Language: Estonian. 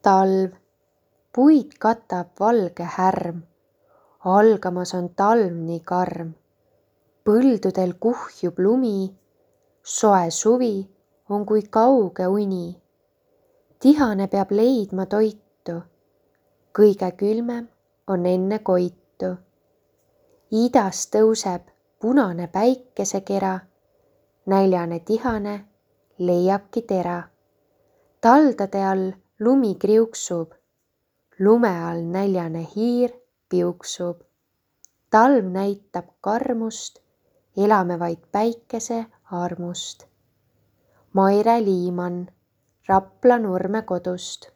Talv, puid katab valge härm, algamas on talv nii karm. Põldudel kuhjub lumi, soe suvi on kui kauge uni. Tihane peab leidma toitu, kõige külmem on enne koitu. Idas tõuseb punane päikesekera, näljane tihane leiabki tera. Taldade all lumi kriuksub, lume all näljane hiir piuksub. Talv näitab karmust, elame vaid päikese armust. Maire Liimann Rapla Nurme kodust.